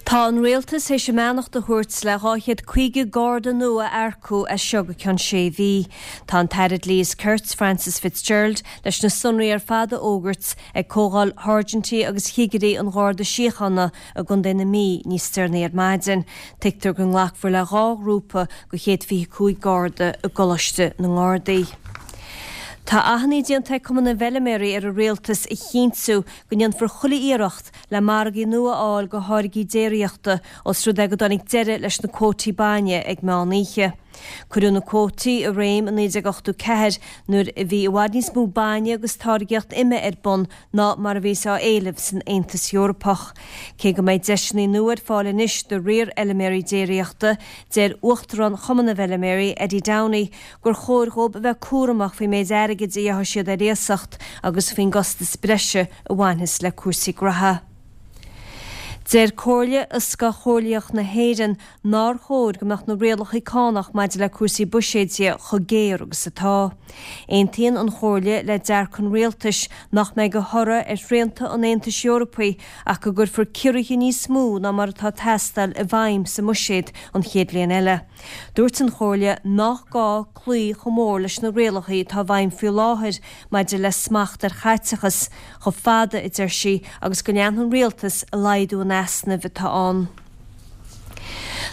Tá an Rialtas théis a mbeannacht a thabhairt le 250 Garda nua a earcú as seo go ceann sé mhí. Tá an tAire Dlí is Cirt, Frances Fitzgerald, leis na sonraí ar fad a fhógairt ag Comhdháil Sháirsintí agus Chigirí an Gharda Síochána i gContae na Mí níos deireanaí ar maidin. Tuigtear go nglacfar le 2 ghrúpa de 125 Garda i gColáiste na nGardaí. Tá achainí déanta ag Cumann na bhFeiliméaraí ar an Rialtas a chinntiú go ndéanfar chuile iarracht le margaí nua a fháil do tháirgí déiríochta os rud é go dtáinig deireadh leis na cuótaí bainne ag meán oíche. Cuireadh na cuótaí i réim i 1984 nuair a bhí i bhfad níos mó bainne agus táirgeacht ime ar bun ná mar a bhíos á éileamh san Aontas Eorpach. Cé go mbeidh deiseanna nua ar fáil anois do fhíorfheiliméaraí déiríochta, deir Uachtarán Chumann na bhFeiliméaraí, Eddie Downey, gur chóir dhóibh a bheith cúramach faoin méid airgid a gheobhaidh siad ar iasacht agus faoin gcostas breise a bhainfeas le cúrsaí graithe. Deir Comhairle Fhioscach Chomhairleach na hÉireann nár chóir go mbeadh na rialacha cánach maidir le cúrsaí buiséid de chomh géar agus atá. Aontaíonn an Chomhairle le dearcadh an Rialtais nach mbeidh de thoradh ar shrianta an Aontais Eorpaigh ach go gcuirfear ciorruithe níos mó ná mar atá ag teastáil i bhfeidhm sa mbuiséad an chéad bhliain eile. Dúirt an Chomhairle nach gá cloí chomh mór leis na rialacha atá i bhfeidhm faoi láthair maidir le smacht ar chaiteachas, chomh fada, a deir sí, agus go leanfaidh an Rialtas ag laghdú an easnaimh atá ann.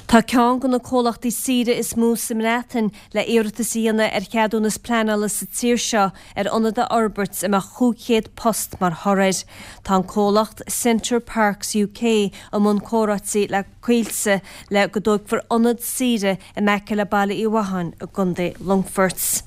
Tá ceann de na comhlachtaí saoire is mó sa mBreatain le iarratas a dhéanamh ar cheadúnas pleanála sa tír seo ar ionad a fhorbairt a mbeadh 500 post mar thoradh air. Tá an comhlacht Center Parcs UK i mbun comhráití le Coillte le go dtógfar ionad saoire in aice le Baile Uí Mhatháin i gContae Longfoirt.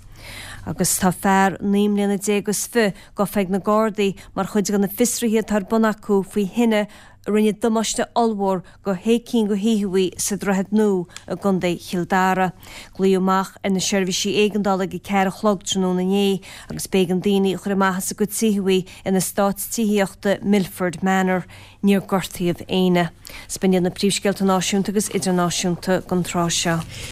Agus tá fear 19 mbliana is fi gafa ag na Gardaí mar chuid de na fiosruithe atá ar bun acu faoi thine a rinne damáiste ollmhór go shé cinn de thithe sa Droichead Nua i gContae Chill Dara. Glaodh amach ar na seirbhísí éigeandála ag 4 a chlog tráthnóna inné agus b'éigean daoine a chur amach as a gcuid tithe in eastát tithíochta Milford Manor. Níor gortaíodh éinne. 'S b'in iad na príomhscéalta náisiúnta agus idirnáisiúnta don tráth seo.